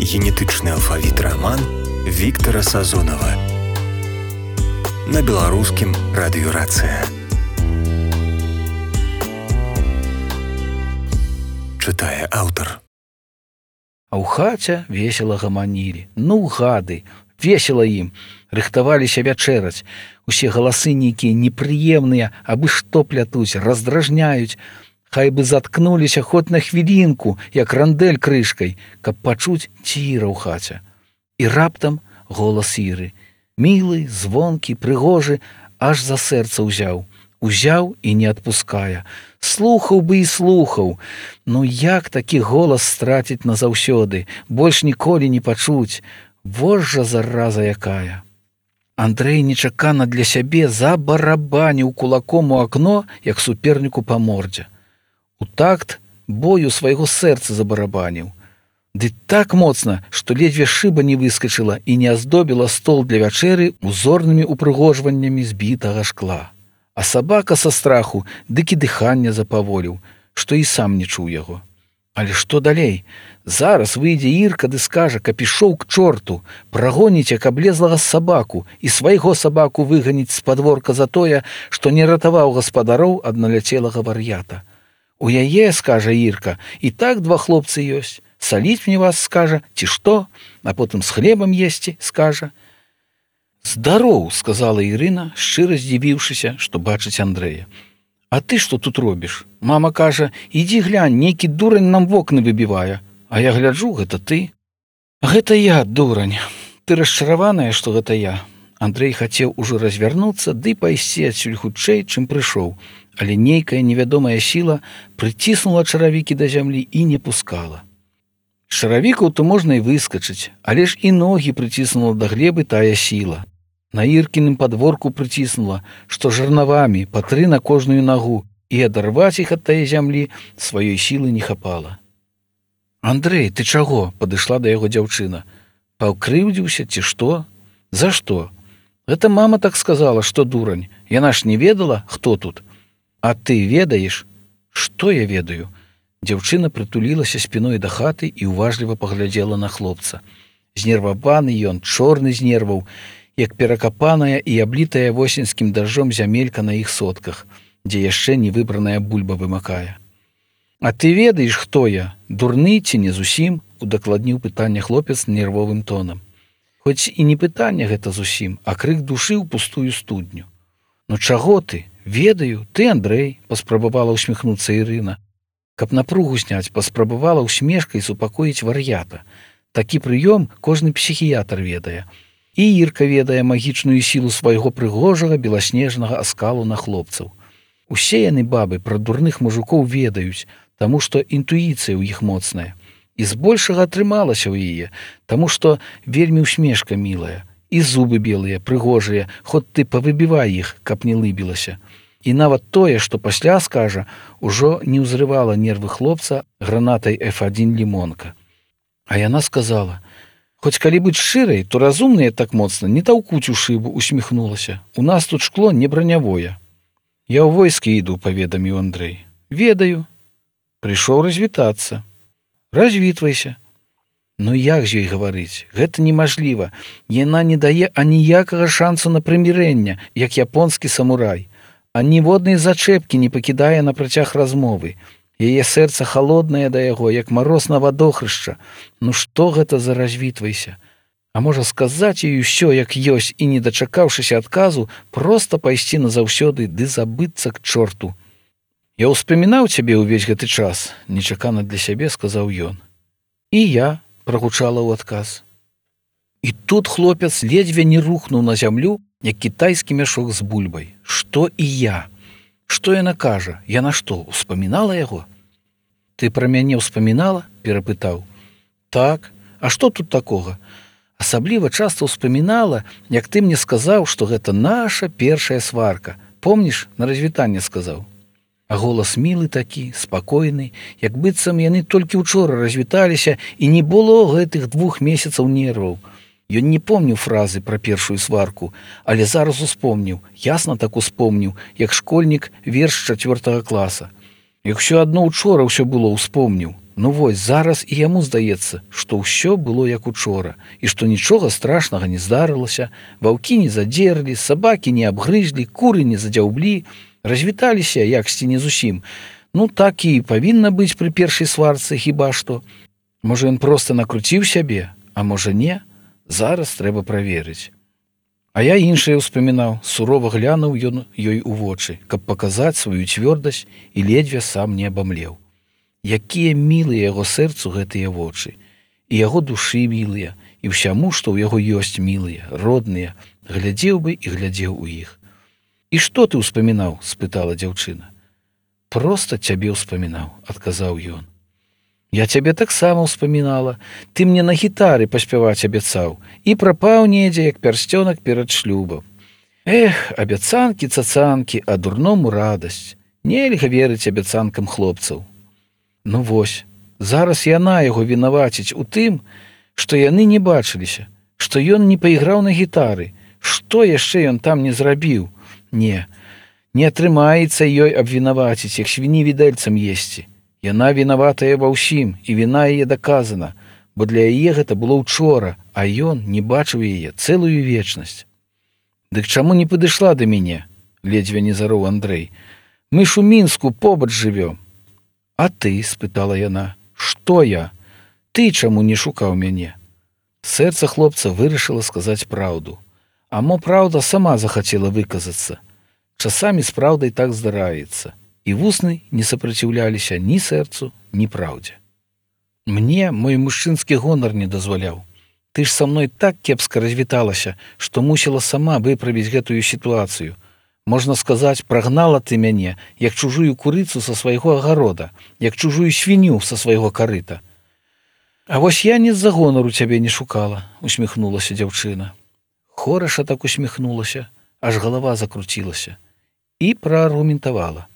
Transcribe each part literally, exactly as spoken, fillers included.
Генетычны алфавіт раман Віктара Сазонава на беларускім радыёрацыя. Чытае аўтар. А ў хаце весела гаманілі. Ну, гады, весела ім. Рыхтаваліся вячэраць. Усе галасы нейкія непрыемныя, абы што плятуць, раздражняюць. Хай бы заткнуліся хоць на хвілінку, як рандэль крышкай, каб пачуць ціра ў хаце. І раптам голас Іры. Мілы, звонкі, прыгожы, аж за сэрца ўзяў. Узяў і не адпускае. Слухаў бы і слухаў. Ну як такі голас страціць назаўсёды, больш ніколі не пачуць. Вось жа зараза якая. Андрэй нечакана для сябе забарабаніў кулаком у акно, як суперніку па мордзе. У такт бою свайго сэрца забарабаніў. Ды так моцна, што ледзьве шыба не выскачыла і не аздобіла стол для вячэры узорнымі упрыгожваннямі збітага шкла. А сабака са страху дык і дыханне запаволіў, што і сам не чуў яго. Але што далей? Зараз выйдзе Ірка ды скажа, каб ішоў к чорту, прагоніць як аблезлага сабаку і свайго сабаку выганіць з падворка за тое, што не ратаваў гаспадароў ад наляцелага вар'ята. У яе, скажа Ірка, і так два хлопцы ёсць. Саліць мне вас, скажа, ці што, а потым з хлебам есці, скажа. Здароў, сказала Ірына, шчыра здзівіўшыся, што бачыць Андрэя. А ты што тут робіш? Мама кажа, ідзі глянь, нейкі дурань нам вокны выбівае. А я гляджу, гэта ты. Гэта я, дурань. Ты расчараваная, што гэта я. Андрэй хацеў ужо развярнуцца ды пайсці адсюль хутчэй, чым прыйшоў, але нейкая невядомая сіла прыціснула чаравікі да зямлі і не пускала. З чаравікаў то можна і выскачыць, але ж і ногі прыціснула да глебы тая сіла. На Іркіным падворку прыціснула, што жарнавамі па тры на кожную нагу, і адарваць іх ад тае зямлі сваёй сілы не хапала. Андрэй, ты чаго? Падышла да яго дзяўчына. Паўкрыўдзіўся ці што? За што? Гэта мама так сказала, што дурань. Яна ж не ведала, хто тут. А ты ведаеш? Што я ведаю? Дзяўчына прытулілася спіной да хаты і уважліва паглядзела на хлопца. Знерваваны ён, чорны з нерваў, як перакапаная і аблітая восеньскім дажджом зямелька на іх сотках, дзе яшчэ не выбраная бульба вымакае. А ты ведаеш, хто я? Дурны ці не зусім? Удакладніў пытанне хлопец нервовым тонам. Хоць і не пытанне гэта зусім, а крык душы ў пустую студню. Ну чаго ты? Ведаю, ты, Андрэй, паспрабавала ўсміхнуцца Ірына. Каб напругу зняць, паспрабавала ўсмешкай супакоіць вар'ята. Такі прыём кожны псіхіятр ведае. І Ірка ведае магічную сілу свайго прыгожага беласнежнага аскалу на хлопцаў. Усе яны, бабы, пра дурных мужикоў ведаюць, таму што інтуіцыя ў іх моцная. І збольшага атрымалася ў яе, таму што вельмі усмешка мілая. І зубы белыя, прыгожыя, хоць ты павыбівай іх, каб не лыбілася. І нават тое, што пасля скажа, ужо не ўзрывала нервы хлопца гранатай эф адзін лімонка. А яна сказала, хоць калі быць шчырай, то разумныя так моцна не таўкуць у шыбу, усміхнулася. У нас тут шкло не бранявое. Я ў войскі іду, паведаміў Андрэй. Ведаю. Прыйшоў развітацца. Развітвайся. Ну як з ёй гаварыць? Гэта немажліва. Яна не дае аніякага шансу на прымірэнне, як японскі самурай. А ніводнай зачэпкі не пакідае на працяг размовы. Яе сэрца халоднае да яго, як мароз на вадохрышча. Ну што гэта за развітвайся? А можа сказаць ёй усё, як ёсць, і, не дачакаўшыся адказу, проста пайсці назаўсёды ды забыцца к чорту. Я ўспамінаў цябе ўвесь гэты час, нечакана для сябе сказаў ён. І я, прагучала ў адказ. І тут хлопец ледзьве не рухнуў на зямлю, як кітайскі мяшок з бульбай. Што і я? Што яна кажа? Яна што, успамінала яго? Ты пра мяне ўспамінала? Перапытаў. Так, а што тут такога? Асабліва часта ўспамінала, як ты мне сказаў, што гэта наша першая сварка. Помніш, на развітанне сказаў. А голас мілы такі, спакойны, як быццам яны толькі ўчора развіталіся і не было гэтых двух месяцаў нерваў. Ён не помніў фразы пра першую сварку, але зараз успомніў, ясна так успомніў, як школьнік верш чацвёртага класа. Як усё адно учора ўсё было, успомніў. Ну вось зараз і яму здаецца, што ўсё было як учора, і што нічога страшнага не здарылася, ваўкі не задзерлі, сабакі не абгрызлі, куры не задзяўблі, развіталіся яксьці не зусім. Ну так і павінна быць пры першай сварцы, хіба што. Можа, ён проста накруціў сябе, а можа не, зараз трэба праверыць. А я іншае ўспамінаў, сурова глянуў ён ёй у вочы, каб паказаць сваю цвёрдасць і ледзьве сам не абамлеў. Якія мілыя яго сэрцу гэтыя вочы, і яго душы мілыя, і ўсяму, што ў яго ёсць мілыя, родныя, глядзеў бы і глядзеў у іх. І што ты ўспамінаў? — спытала дзяўчына. Проста цябе ўспамінаў, — адказаў ён. Я цябе таксама ўспамінала, ты мне на гітары паспяваць абяцаў і прапаў недзе, як пярсцёнак перад шлюбам. Эх, абяцанкі, цацанкі, а дурному радасць. Нельга верыць абяцанкам хлопцаў. Ну вось, зараз яна яго вінаваціць у тым, што яны не бачыліся, што ён не пайграў на гітары, што яшчэ ён там не зрабіў. Не, не атрымаецца ёй абвінаваціць, як свіні відэльцам есці. Яна вінаватая ва ўсім, і віна яе даказана, бо для яе гэта было ўчора, а ён не бачыў яе цэлую вечнасць. Дык чаму не падышла да мяне? — ледзьве не зароў Андрэй. Мы ж у Мінску побач жывём. А ты? — спытала яна. Што я? Ты чаму не шукаў мяне? Сэрца хлопца вырашыла сказаць праўду. А мо праўда сама захацела выказацца. Часамі з праўдай так здараецца. І вусны не супраціўляліся ні сэрцу, ні праўдзе. Мне мой мужчынскі гонар не дазваляў. Ты ж са мной так кепска развіталася, што мусіла сама выправіць гэтую сітуацыю. Можна сказаць, прагнала ты мяне, як чужую курыцу са свайго агарода, як чужую свінню са свайго карыта. А вось я ні з-за гонару цябе не шукала, — усміхнулася дзяўчына. Хораша так усміхнулася, аж галава закруцілася. І прааргументавала.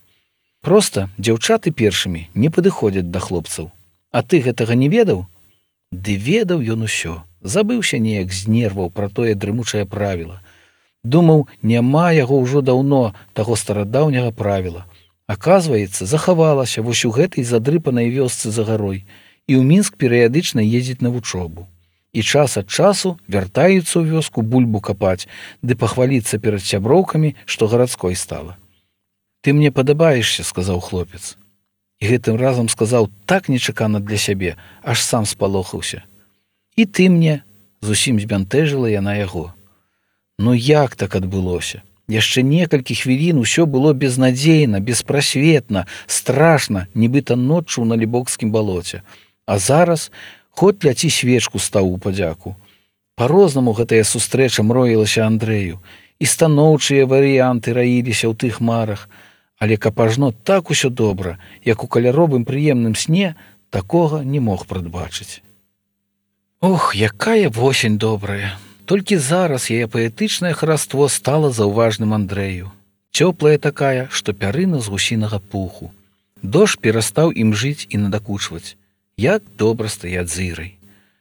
Проста дзяўчаты першымі не падыходзяць да хлопцаў. А ты гэтага не ведаў? Ды ведаў ён усё. Забыўся неяк з нерваў пра тое дрымучае правіла. Думаў, няма яго ўжо даўно таго старадаўняга правіла. Аказваецца, захавалася вось у гэтай задрыпанай вёсцы за гарой, і ў Мінск перыядычна ездзіць на вучобу. І час ад часу вяртаюцца ў вёску бульбу капаць, ды пахваліцца перад сяброўкамі, што гарадской стала. Ты мне падабаешся, — сказаў хлопец. І гэтым разам сказаў так нечакана для сябе, аж сам спалохаўся. І ты мне, — зусім збянтэжыла яна яго. Ну як так адбылося? Яшчэ некалькі хвілін усё было безнадзейна, беспрасветна, страшна, нібыта ноччу на Лібокскім балоце. А зараз хоць ляці свечку стаў у падзяку. Па-рознаму гэтая сустрэча мроілася Андрэю, і станоўчыя варыянты раіліся ў тых марах, але каб ажно так усё добра, як у каляровым прыемным сне, такога не мог прадбачыць. Ох, якая восень добрая! Толькі зараз яе паэтычнае хараство стала заўважным Андрэю. Цёплая такая, што пярына з гусінага пуху. Дождж перастаў ім жыць і надакучваць. Як добра стаяць з Ірай.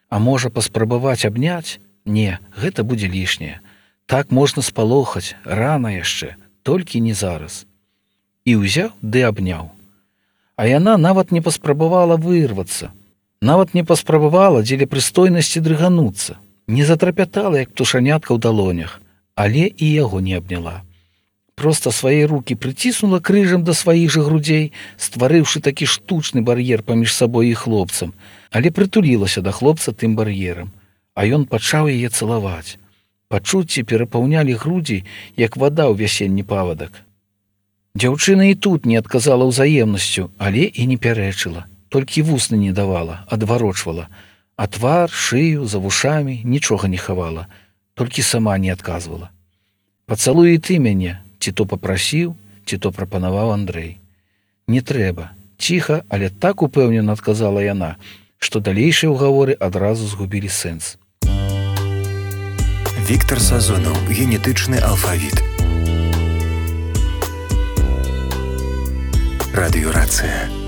А можа паспрабаваць абняць? Не, гэта будзе лішняе. Так можна спалохаць, рана яшчэ, толькі не зараз. І ўзяў ды абняў. А яна нават не паспрабавала вырвацца. Нават не паспрабавала дзеля прыстойнасці дрыгануцца. Не затрапятала, як птушанятка ў далонях, але і яго не абняла. Проста свае рукі прыціснула крыжам да сваіх жа грудзей, стварыўшы такі штучны бар'ер паміж сабой і хлопцам, але прытулілася да хлопца тым бар'ерам, а ён пачаў яе цалаваць. Пачуцці перапаўнялі грудзі, як вада ў вясенні павадак. Дзяўчына і тут не адказала ўзаемнасцю, але і не пярэчыла, толькі вусны не давала, адварочвала. А твар, шыю, за вушамі нічога не хавала, толькі сама не адказвала. Пацалуй і ты мяне, ці то папрасіў, ці то прапанаваў Андрэй. Не трэба, ціха, але так упэўнена адказала яна, што далейшыя ўгаворы адразу згубілі сэнс. Віктар Сазонаў, генетычны алфавіт. Радыёрацыя.